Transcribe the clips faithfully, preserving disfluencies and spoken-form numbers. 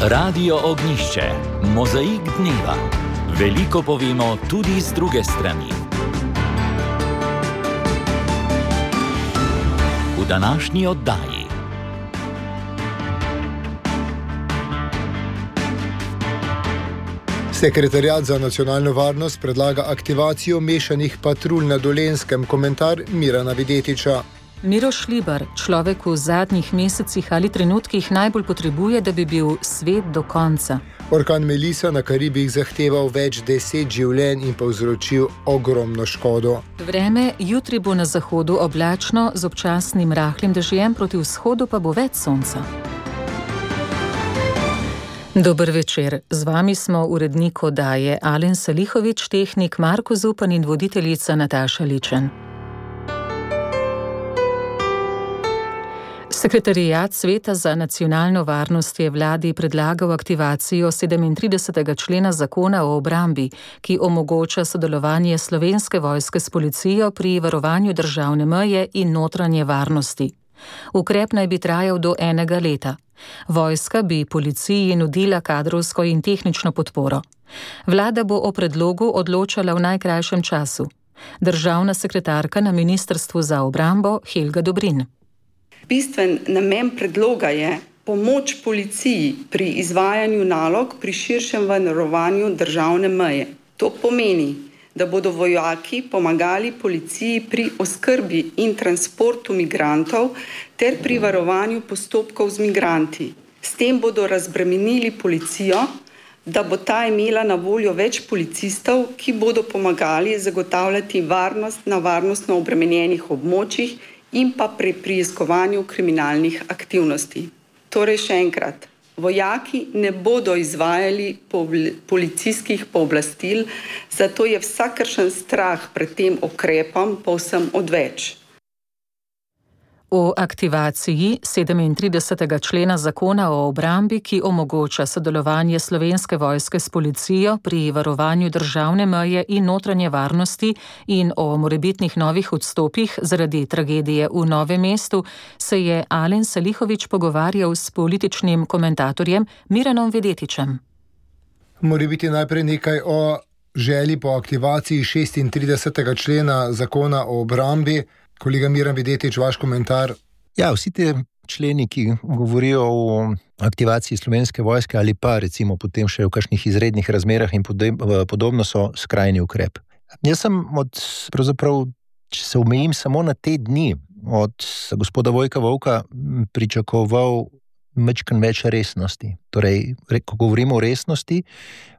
Radio Ognjišče, mozaik dneva. Veliko povemo tudi z druge strani. V današnji oddaji. Sekretariat za nacionalno varnost predlaga aktivacijo mešanih patrulj na Dolenjskem. Komentar Mirana Videtiča. Miro Šlibar, človek v zadnjih mesecih ali trenutkih najbolj potrebuje, da bi bil svet do konca. Orkan Melissa na Karibih zahteval več deset življenj in povzročil ogromno škodo. Vreme jutri bo na zahodu oblačno z občasnim rahlim dežjem, proti vzhodu pa bo več sonca. Dober večer, z vami smo urednik oddaje Alen Salihović, tehnik Marko Zupan in voditeljica Nataša Ličen. Sekretariat Sveta za nacionalno varnost je vladi predlagal aktivacijo sedemintridesetega člena zakona o obrambi, ki omogoča sodelovanje Slovenske vojske s policijo pri varovanju državne meje in notranje varnosti. Ukrep naj bi trajal do enega leta. Vojska bi policiji nudila kadrovsko in tehnično podporo. Vlada bo o predlogu odločala v najkrajšem času. Državna sekretarka na Ministrstvu za obrambo Helga Dobrin. Bistven namen predloga je pomoč policiji pri izvajanju nalog pri širšem varovanju državne meje. To pomeni, da bodo vojaki pomagali policiji pri oskrbi in transportu migrantov ter pri varovanju postopkov z migranti. S tem bodo razbremenili policijo, da bo ta imela na voljo več policistov, ki bodo pomagali zagotavljati varnost na varnostno obremenjenih območjih in pa pri preiskovanju kriminalnih aktivnosti. Torej še enkrat, vojaki ne bodo izvajali policijskih pooblastil, zato je vsakršen strah pred tem ukrepom povsem odveč. O aktivaciji sedemintridesetega člena zakona o obrambi, ki omogoča sodelovanje Slovenske vojske s policijo pri varovanju državne meje in notranje varnosti in o morebitnih novih odstopih zaradi tragedije v Novem mestu, se je Alen Salihović pogovarjal s političnim komentatorjem Miranom Videtičem. Mora biti najprej nekaj o želji po aktivaciji šestintridesetega člena zakona o obrambi. Kolega Miran Videtič, vaš komentar? Ja, vsi te členi, ki govorijo o aktivaciji Slovenske vojske ali pa recimo potem še v kakšnih izrednih razmerah in podobno, so skrajni ukrep. Jaz sem od, pravzaprav, če se omejim samo na te dni, od gospoda Vojka Volka pričakoval mečkan več resnosti. Torej, ko govorimo o resnosti,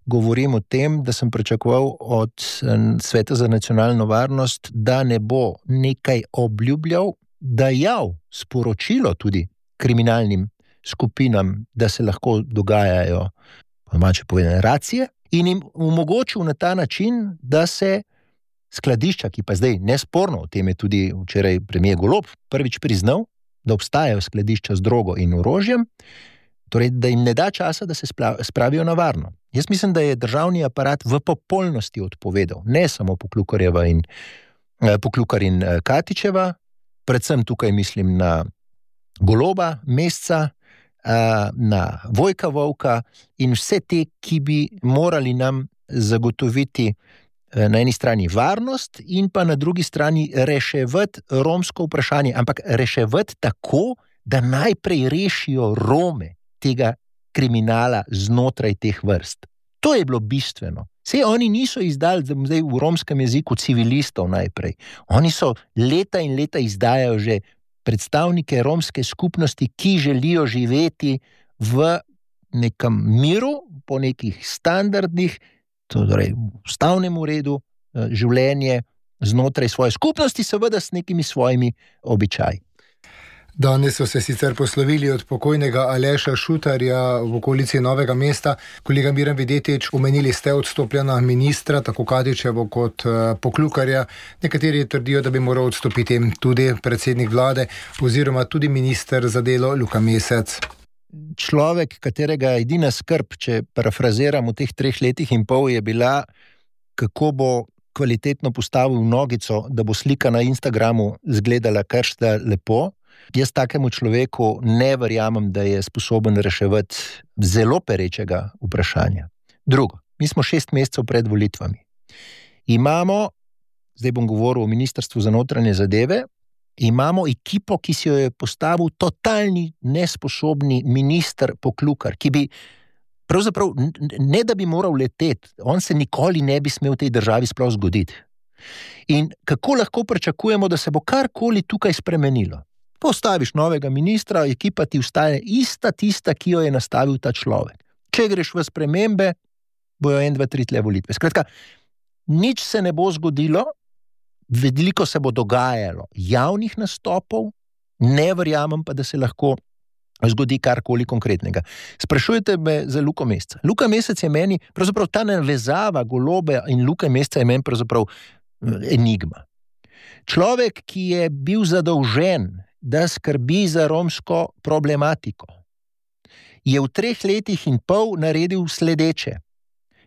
govorim o tem, da sem pričakoval od Sveta za nacionalno varnost, da ne bo nekaj obljubljal, dajal sporočilo tudi kriminalnim skupinam, da se lahko dogajajo domače povedane racije, in jim omogočil na ta način, da se skladišča, ki pa zdaj nesporno, o tem je tudi včeraj premier Golob prvič priznal, da obstajajo skladišča z drogo in orožjem, torej da jim ne da časa, da se spravijo na varno. Jaz mislim, da je državni aparat v popolnosti odpovedal, ne samo Poklukarjeva in Poklukar in Katičeva, predvsem tukaj mislim na Goloba, Mesca, na Vojka Volka in vse te, ki bi morali nam zagotoviti na eni strani varnost in pa na drugi strani reševati romsko vprašanje, ampak reševati tako, da najprej rešijo Rome tega kriminala znotraj teh vrst. To je bilo bistveno. Sej oni niso izdali zdaj v romskem jeziku civilistov najprej. Oni so leta in leta izdajajo že predstavnike romske skupnosti, ki želijo živeti v nekem miru, po nekih standardih, torej v ustavnem redu, življenje znotraj svoje skupnosti, seveda s nekimi svojimi običaji. Danes so se sicer poslovili od pokojnega Aleša Šutarja v okolici Novega mesta. Kolega Miran Videtič, omenili ste odstopljena ministra, tako Katičevo kot Poklukarja. Nekateri trdijo, da bi moral odstopiti tudi predsednik vlade oziroma tudi minister za delo Luka Mesec. Človek, katerega edina skrb, če parafraziram v teh treh letih in pol, je bila, kako bo kvalitetno postavil nogico, da bo slika na Instagramu izgledala kar sta lepo, Jaz takemu človeku ne verjamem, da je sposoben reševati zelo perečega vprašanja. Drugo, mi smo šest mesecev pred volitvami. Imamo, zdaj bom govoril o Ministrstvu za notranje zadeve, imamo ekipo, ki si jo je postavil totalni nesposobni minister Poklukar, ki bi pravzaprav, ne da bi moral leteti, on se nikoli ne bi smel v tej državi sploh zgoditi. In kako lahko pričakujemo, da se bo karkoli tukaj spremenilo? Postaviš novega ministra, ekipa ti ustaje ista tista, ki jo je nastavil ta človek. Če greš v spremembe, bojo en, dva, tri tle volitve. Skratka, nič se ne bo zgodilo, veliko se bo dogajalo javnih nastopov, ne verjamem pa, da se lahko zgodi karkoli konkretnega. Sprašujete me za Luko Mesca. Luka Mesec je meni, pravzaprav ta navezava Goloba in Luke Mesca je meni pravzaprav enigma. Človek, ki je bil zadolžen, da skrbi za romsko problematiko, je v treh letih in pol naredil sledeče.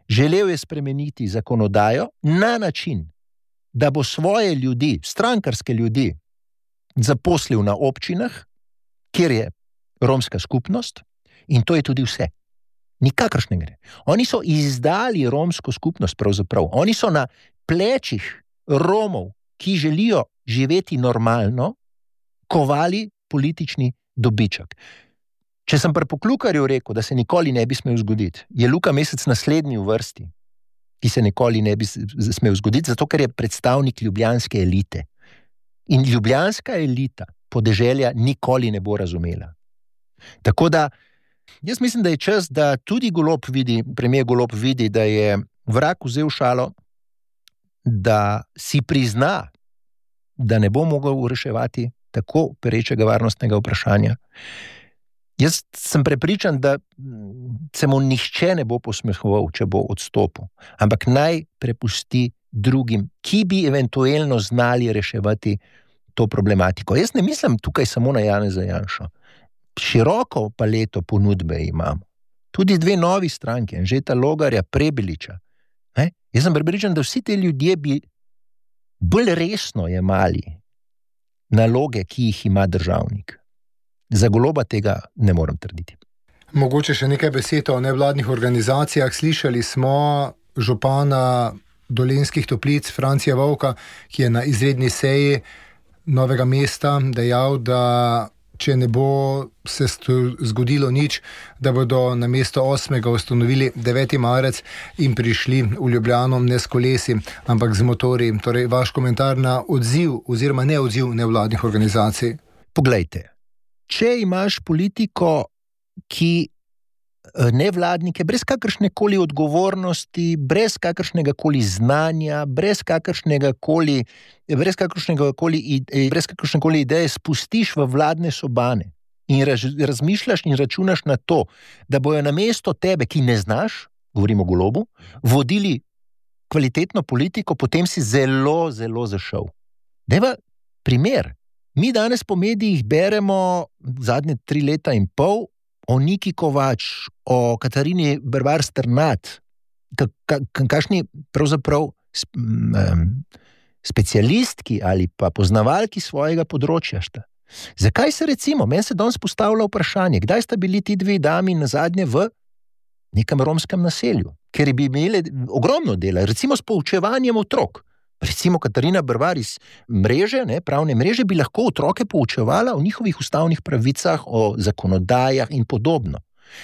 Želel je spremeniti zakonodajo na način, da bo svoje ljudi, strankarske ljudi, zaposlil na občinah, kjer je romska skupnost, in to je tudi vse. Nikakršne gre. Oni so izdali romsko skupnost pravzaprav. Oni so na plečih Romov, ki želijo živeti normalno, kovali politični dobiček. Če sem pri Poklukarju rekel, da se nikoli ne bi smel zgoditi, je Luka Mesec naslednji v vrsti, ki se nikoli ne bi smel zgoditi, zato ker je predstavnik ljubljanske elite. In ljubljanska elita podeželja nikoli ne bo razumela. Tako da, jaz mislim, da je čas, da tudi Golob vidi, premier Golob vidi, da je vrag vzel šalo, da si prizna, da ne bo mogel reševati tako perečega varnostnega vprašanja. Jaz sem prepričan, da se mu nihče ne bo posmehoval, če bo odstopil, ampak naj prepusti drugim, ki bi eventualno znali reševati to problematiko. Jaz ne mislim tukaj samo na Janeza Janšo. Široko paleto ponudbe imamo. Tudi dve novi stranke, Anžeta Logarja, Prebiliča. Ne? Jaz sem prepričan, da vsi te ljudje bi bolj resno jemali naloge, ki jih ima državnik. Za Goloba tega ne morem trditi. Mogoče še nekaj besed o nevladnih organizacijah. Slišali smo župana Dolenjskih Toplic, Francija Vovka, ki je na izredni seji Novega mesta dejal, da če ne bo se zgodilo nič, da bodo na mesto osmega ustanovili deveti marec in prišli v Ljubljano ne s kolesi, ampak z motorji. Torej, vaš komentar na odziv oziroma neodziv nevladnih organizacij. Poglejte, če imaš politiko, ki nevladnike, brez kakršne koli odgovornosti, brez kakršnega koli znanja, brez kakršnega koli, brez kakršnega koli, brez kakršne koli ideje spustiš v vladne sobane in raz, razmišljaš in računaš na to, da bojo na mesto tebe, ki ne znaš, govorimo o Golobu, vodili kvalitetno politiko, potem si zelo, zelo zašel. Deva primer. Mi danes po medijih beremo zadnje tri leta in pol o Niki Kovač, o Katarini Bervar Strnad, kakšni pravzaprav specialistki ali pa poznavalki svojega področja sta. Zakaj se recimo, meni se danes postavlja vprašanje, kdaj sta bili ti dve dami nazadnje v nekem romskem naselju, ker bi imeli ogromno dela, recimo s poučevanjem otrok. Recimo Katarina Bervar iz mreže, ne, pravne mreže, bi lahko otroke poučevala o njihovih ustavnih pravicah, o zakonodajah in podobno.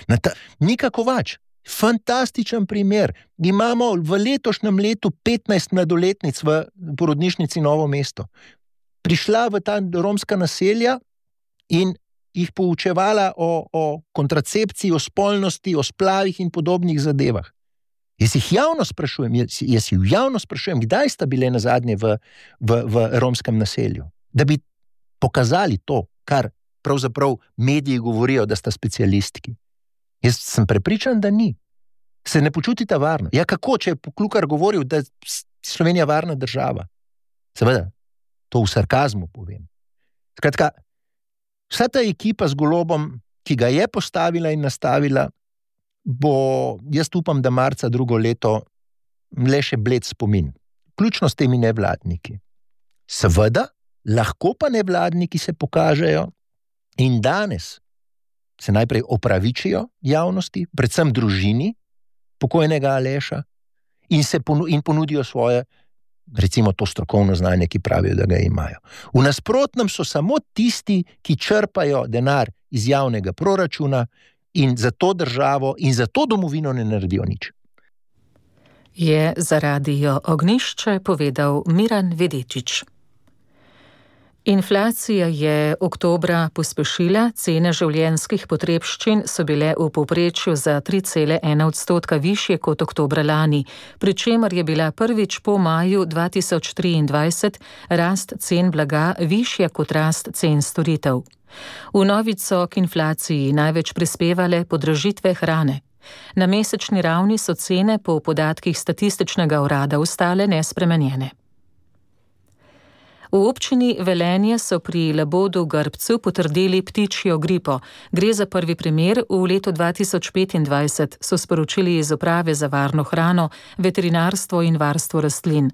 Ta, Nika Kovač, fantastičen primer. Imamo v letošnjem letu petnajst mladoletnic v porodnišnici Novo mesto. Prišla v ta romska naselja in jih poučevala o, o kontracepciji, o spolnosti, o splavih in podobnih zadevah. Jaz jih javno sprašujem, jaz, jaz jih javno sprašujem, kdaj sta bile nazadnje v, v, v romskem naselju, da bi pokazali to, kar pravzaprav mediji govorijo, da sta specialistki. Jaz sem prepričan, da ni. Se ne počutita varno. Ja, kako, če je Poklukar govoril, da je Slovenija varna država? Seveda, to v sarkazmu povem. Skratka, vsa ta ekipa z Golobom, ki ga je postavila in nastavila, bo, jaz upam, da marca drugo leto le še bled spomin. Ključno s temi nevladniki. Seveda, lahko pa nevladniki se pokažejo In danes se najprej opravičijo javnosti, predvsem družini pokojnega Aleša, in se ponu- in ponudijo svoje, recimo to strokovno znanje, ki pravijo, da ga imajo. V nasprotnem so samo tisti, ki črpajo denar iz javnega proračuna in za to državo in za to domovino ne naredijo nič. Je za Radio Ognjišče povedal Miran Vedečič. Inflacija je oktobra pospešila, cene življenjskih potrebščin so bile v povprečju za tri cele ena odstotka višje kot oktobra lani, pri čemer je bila prvič po maju dva tisoč triindvajset rast cen blaga višja kot rast cen storitev. V novič so k inflaciji največ prispevale podražitve hrane. Na mesečni ravni so cene po podatkih statističnega urada ostale nespremenjene. V občini Velenje so pri Labodu Grbcu potrdili ptičjo gripo. Gre za prvi primer v letu dva tisoč petindvajset, so sporočili iz Uprave za varno hrano, veterinarstvo in varstvo rastlin.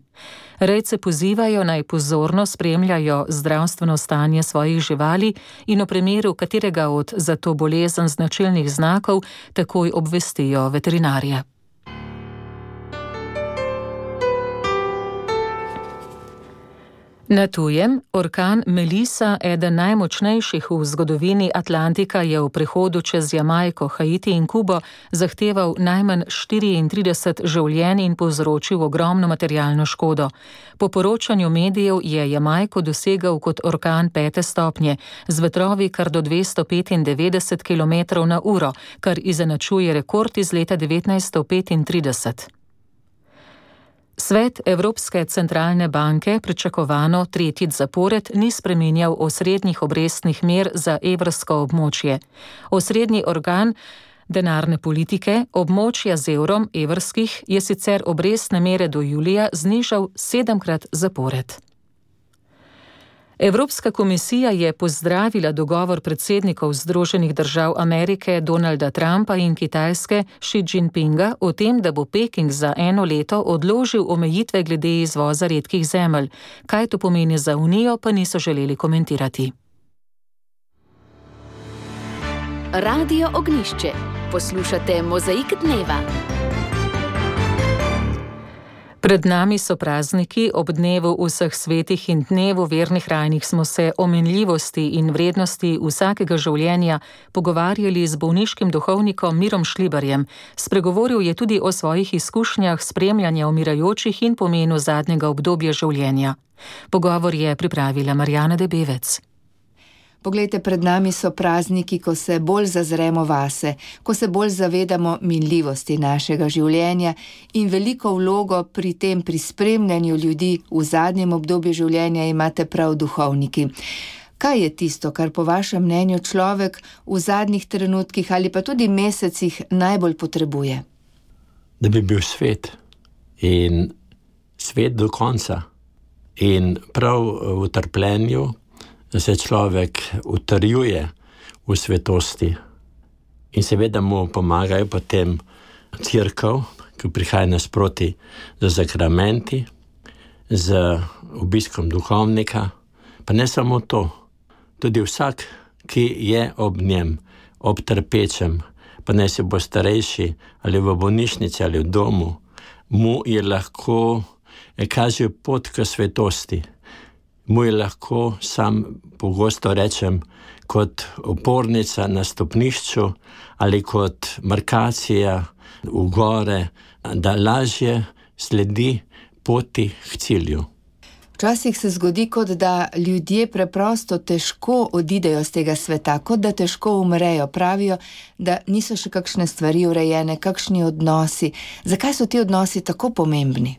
Rejce pozivajo naj pozorno spremljajo zdravstveno stanje svojih živali in v primeru katerega od za to bolezen značilnih znakov takoj obvestijo veterinarja. Na tujem, orkan Melissa, eden najmočnejših v zgodovini Atlantika, je v prehodu čez Jamajko, Haiti in Kubo zahteval najmanj štiriintrideset življenj in povzročil ogromno materialno škodo. Po poročanju medijev je Jamajko dosegel kot orkan pete stopnje, z vetrovi kar do dvesto petindevetdeset kilometrov na uro, kar izenačuje rekord iz leta devetnajststo petintrideset. Svet Evropske centralne banke pričakovano tretjič zapored ni spreminjal osrednjih obrestnih mer za evrsko območje. Osrednji organ denarne politike območja z evrom evrskih je sicer obrestne mere do julija znižal sedemkrat zapored. Evropska komisija je pozdravila dogovor predsednikov Združenih držav Amerike Donalda Trumpa in Kitajske Xi Jinpinga o tem, da bo Peking za eno leto odložil omejitve glede izvoza redkih zemelj. Kaj to pomeni za Unijo, pa niso želeli komentirati. Radio Ognjišče. Poslušate Mozaik dneva. Pred nami so prazniki, ob dnevu vseh svetih in dnevu vernih rajnih smo se o minljivosti in vrednosti vsakega življenja pogovarjali z bolniškim duhovnikom Mirom Šlibarjem. Spregovoril je tudi o svojih izkušnjah spremljanja umirajočih in pomenu zadnjega obdobja življenja. Pogovor je pripravila Marjana Debevec. Poglejte, pred nami so prazniki, ko se bolj zazremo vase, ko se bolj zavedamo minljivosti našega življenja in veliko vlogo pri tem, pri spremljanju ljudi v zadnjem obdobju življenja imate prav duhovniki. Kaj je tisto, kar po vašem mnenju človek v zadnjih trenutkih ali pa tudi mesecih najbolj potrebuje? Da bi bil svet in svet do konca in prav v trpljenju se človek utrjuje v svetosti in seveda mu pomagajo potem cerkev, ki prihaja nasproti z sakramenti, z obiskom duhovnika, pa ne samo to, tudi vsak, ki je ob njem, ob trpečem, pa ne se bo starejši ali v bolnišnici ali v domu, mu je lahko kaže pot k svetosti. Mu je lahko, sam pogosto rečem, kot opornica na stopnišču ali kot markacija v gore, da lažje sledi poti k cilju. Včasih se zgodi, kot da ljudje preprosto težko odidejo z tega sveta, kot da težko umrejo. Pravijo, da niso še kakšne stvari urejene, kakšni odnosi. Zakaj so ti odnosi tako pomembni?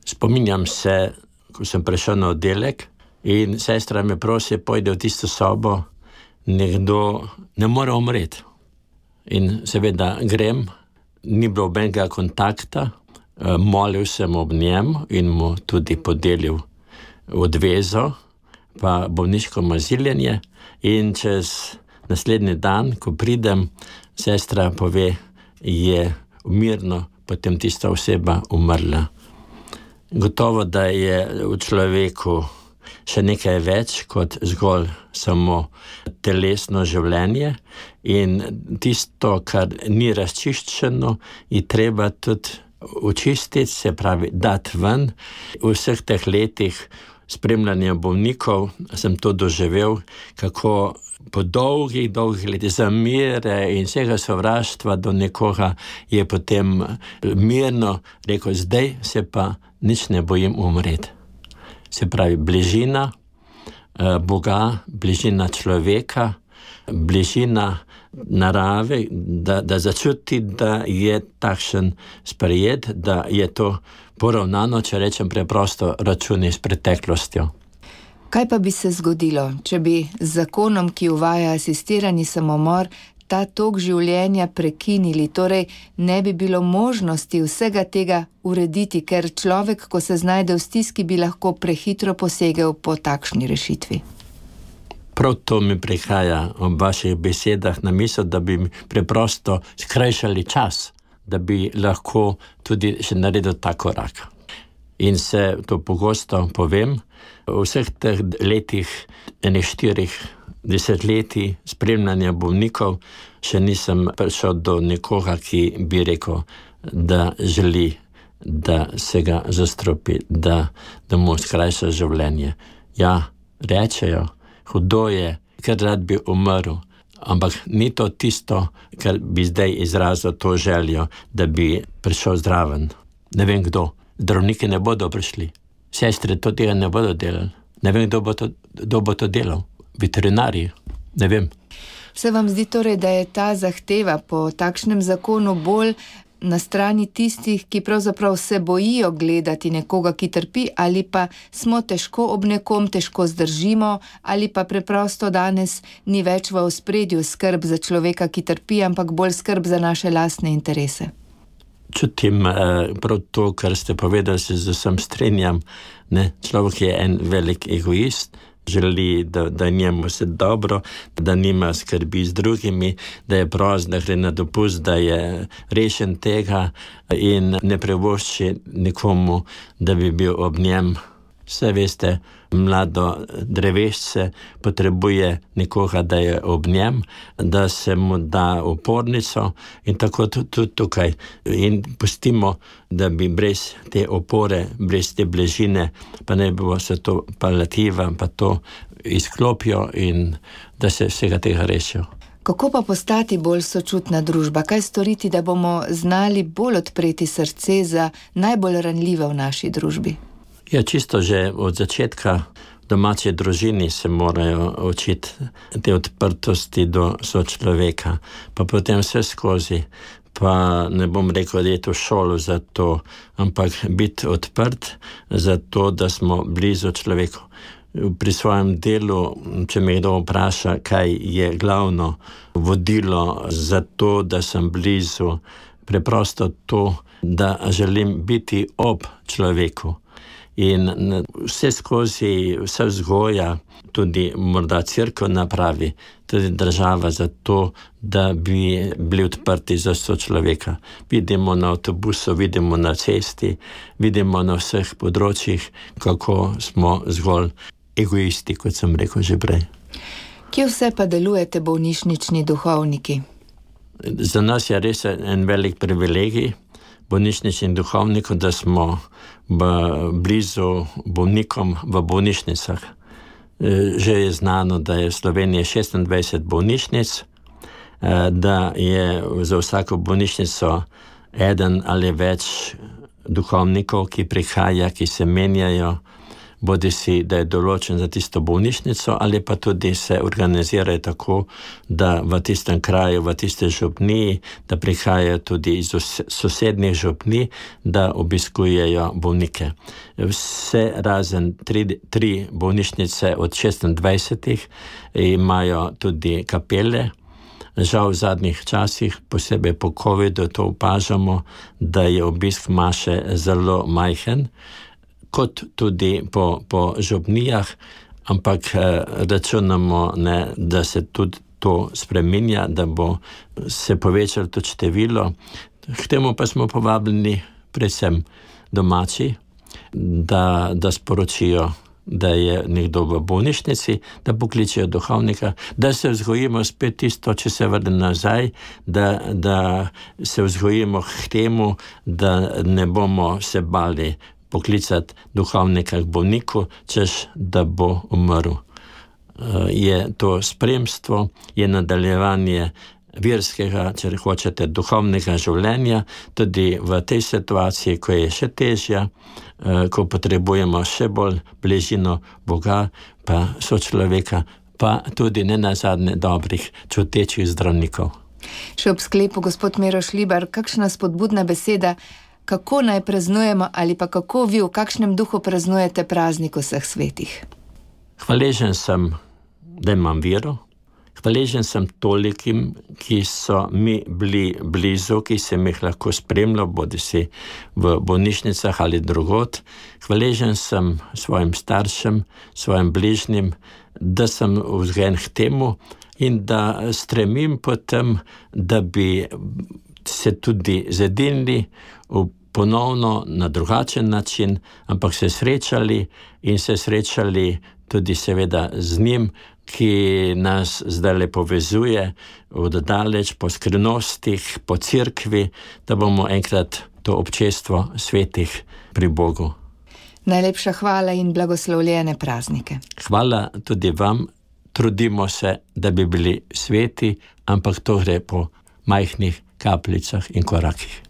Spominjam se, ko sem prišel na oddelek in sestra me prosi, pojde v tisto sobo, nekdo ne more umreti. In seveda grem, ni bilo nobenega kontakta, molil sem ob njem in mu tudi podelil odvezo, pa bolniško maziljenje, in čez naslednji dan, ko pridem, sestra pove, je mirno, potem tista oseba umrla. Gotovo, da je v človeku še nekaj več kot zgolj samo telesno življenje in tisto, kar ni razčiščeno, je treba tudi očistiti, se pravi, dati ven. V vseh teh letih spremljanja bolnikov sem to doživel, kako po dolgih, dolgih letih zamere in vsega sovraštva do nekoga je potem mirno rekel, zdaj se pa nič ne bojim umreti. Se pravi, bližina Boga, bližina človeka, bližina narave, da, da začuti, da je takšen sprejet, da je to poravnano, če rečem preprosto, računi s preteklostjo. Kaj pa bi se zgodilo, če bi z zakonom, ki uvaja asistirani samomor, ta tok življenja prekinili, torej ne bi bilo možnosti vsega tega urediti, ker človek, ko se znajde v stiski, bi lahko prehitro posegel po takšni rešitvi? Prav to mi prihaja ob vaših besedah na misel, da bi preprosto skrajšali čas, da bi lahko tudi še naredil ta korak. In se to pogosto povem, v vseh teh letih, enih štirih desetletij spremljanja bolnikov, še nisem prišel do nekoga, ki bi rekel, da želi, da se ga zastropi, da, da mu skrajša življenje. Ja, rečejo, hudo je, ker rad bi umrl, ampak ni to tisto, kar bi zdaj izrazil to željo, da bi prišel zraven. Ne vem kdo, zdravniki ne bodo prišli, sestre to tega ne bodo delali, ne vem kdo bo to, kdo bo to delal, veterinarji, ne vem. Se vam zdi torej, da je ta zahteva po takšnem zakonu bolj na strani tistih, ki pravzaprav se bojijo gledati nekoga, ki trpi, ali pa smo težko ob nekom, težko zdržimo, ali pa preprosto danes ni več v ospredju skrb za človeka, ki trpi, ampak bolj skrb za naše lastne interese? Čutim eh, prav to, kar ste povedali, se z vsem strinjam. Ne? Človek je en velik egoist, želi, da, da njemu se dobro, da nima skrbi z drugimi, da je prost, da gre na dopust, da je rešen tega in ne privošči nikomu, da bi bil ob njem. Vse veste, mlado drevešče potrebuje nekoga, da je ob njem, da se mu da opornico in tako tudi tukaj. In pustimo, da bi brez te opore, brez te bližine, pa ne bo se to paliativa, pa to izklopijo in da se vsega tega rešijo. Kako pa postati bolj sočutna družba? Kaj storiti, da bomo znali bolj odpreti srce za najbolj ranljive v naši družbi? Ja, čisto že od začetka domače družini se morajo učiti te odprtosti do sočloveka, pa potem vse skozi, pa ne bom rekel, da je to šolo za to, ampak biti odprt za to, da smo blizu človeku. Pri svojem delu, če me kdo vpraša, kaj je glavno vodilo za to, da sem blizu, preprosto to, da želim biti ob človeku. In vse skozi, vse vzgoja, tudi morda cerkev napravi, tudi država za to, da bi bili odprti za sočloveka. Vidimo na avtobusu, vidimo na cesti, vidimo na vseh področjih, kako smo zgolj egoisti, kot sem rekel že prej. Kje vse pa delujete bolnišnični duhovniki? Za nas je res en velik privilegij, bolnišničnim duhovnikom, da smo blizu bolnikom v bolnišnicah. Že je znano, da je v Sloveniji šestindvajset bolnišnic, da je za vsako bolnišnico eden ali več duhovnikov, ki prihaja, ki se menjajo, bodi si, da je določen za tisto bolnišnico, ali pa tudi se organizirajo tako, da v tistem kraju, v tiste župniji, da prihajajo tudi iz sosednjih župnij, da obiskujejo bolnike. Vse razen tri, tri bolnišnice od šestindvajsetih imajo tudi kapele. Žal v zadnjih časih, posebej po covidu, to opažamo, da je obisk maše zelo majhen, kot tudi po, po župnijah, ampak računamo, ne, da se tudi to spreminja, da bo se povečalo to število. K temu pa smo povabljeni predvsem domači, da, da sporočijo da je nekdo v bolnišnici, da pokličejo duhovnika, da se vzgojimo spet tisto, če se vrne nazaj, da, da se vzgojimo k temu, da ne bomo se bali poklicati duhovnika k bolniku, češ da bo umrl. Je to spremstvo, je nadaljevanje verskega, če hočete, duhovnega življenja, tudi v tej situaciji, ko je še težja, ko potrebujemo še bolj bližino Boga, pa sočloveka, pa tudi ne nazadnje dobrih, čutečih zdravnikov. Še ob sklepu, gospod Miro Šlibar, kakšna spodbudna beseda, kako naj praznujemo ali pa kako vi v kakšnem duhu praznujete praznik vseh svetih? Hvaležen sem, da imam vero. Hvaležen sem tolikim, ki so mi bili blizu, ki sem jih lahko spremljal, bodi si v bolnišnicah ali drugod. Hvaležen sem svojim staršem, svojim bližnjim, da sem vzgojen k temu in da stremim potem, da bi se tudi zedinili ponovno na drugačen način, ampak se srečali in se srečali tudi seveda z njim, ki nas zdaj povezuje od daleč po skrivnostih, po cerkvi, da bomo enkrat to občestvo svetih pri Bogu. Najlepša hvala in blagoslovljene praznike. Hvala tudi vam. Trudimo se, da bi bili sveti, ampak to gre po majhnih kapljicah in korakih.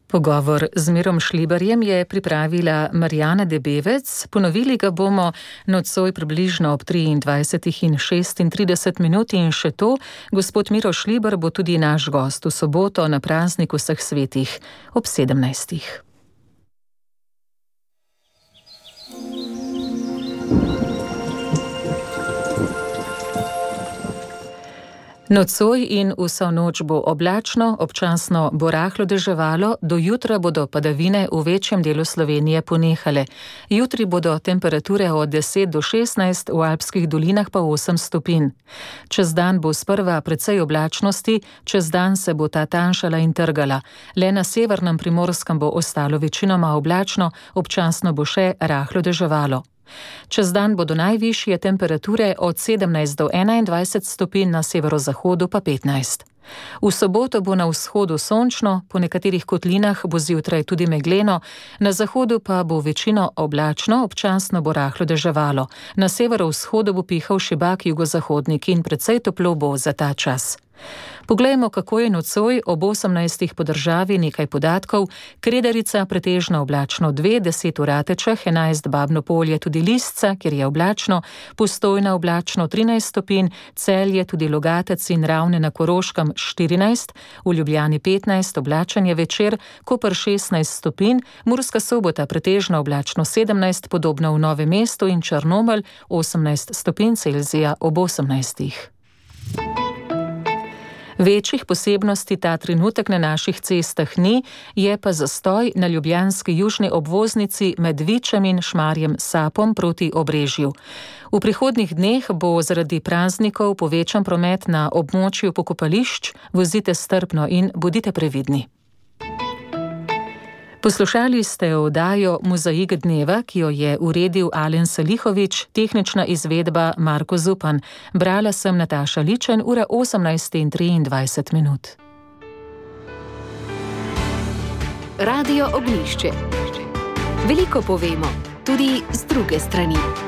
Pogovor z Mirom Šlibarjem je pripravila Marjana Debevec. Ponovili ga bomo nocoj približno ob triindvajsetih in šestintrideset minut in še to, gospod Miro Šlibar bo tudi naš gost v soboto na prazniku vseh svetih ob sedemnajstih. Nocoj in vso noč bo oblačno, občasno bo rahlo deževalo, do jutra bodo padavine v večjem delu Slovenije ponehale. Jutri bodo temperature od deset do šestnajst, v alpskih dolinah pa osem stopinj. Čez dan bo sprva precej oblačnosti, čez dan se bo ta tanjšala in trgala. Le na severnem Primorskem bo ostalo večinoma oblačno, občasno bo še rahlo deževalo. Čez dan bodo najvišje temperature od sedemnajst do enaindvajset stopinj, na severozahodu pa petnajst. V soboto bo na vzhodu sončno, po nekaterih kotlinah bo zjutraj tudi megleno, na zahodu pa bo večino oblačno, občasno bo rahlo deževalo. Na severovzhodu bo pihal šibak jugozahodnik in precej toplo bo za ta čas. Poglejmo, kako je nocoj ob osemnajstih po državi, nekaj podatkov. Kredarica pretežno oblačno dve, deset v Ratečah, enajst Babno Polje, tudi Lisca, kjer je oblačno, Postojna oblačno trinajst stopinj, Celje, tudi Logatec in Ravne na Koroškem štirinajst, v Ljubljani petnajst, oblačen je večer, Koper šestnajst stopinj, Murska Sobota pretežno oblačno sedemnajst, podobno v Novem mestu in Črnomelj osemnajst stopinj Celzija ob osemnajstih. Večjih posebnosti ta trenutek na naših cestah ni, je pa zastoj na ljubljanski južni obvoznici med Vičem in Šmarjem Sapom proti Obrežju. V prihodnjih dneh bo zaradi praznikov povečan promet na območju pokopališč, vozite strpno in bodite previdni. Poslušali ste oddajo Mozaik dneva, ki jo je uredil Alen Salihovič, tehnična izvedba Marko Zupan. Brala sem Nataša Ličen, ura osemnajst in triindvajset minut. Radio Ognjišče. Veliko povemo, tudi z druge strani.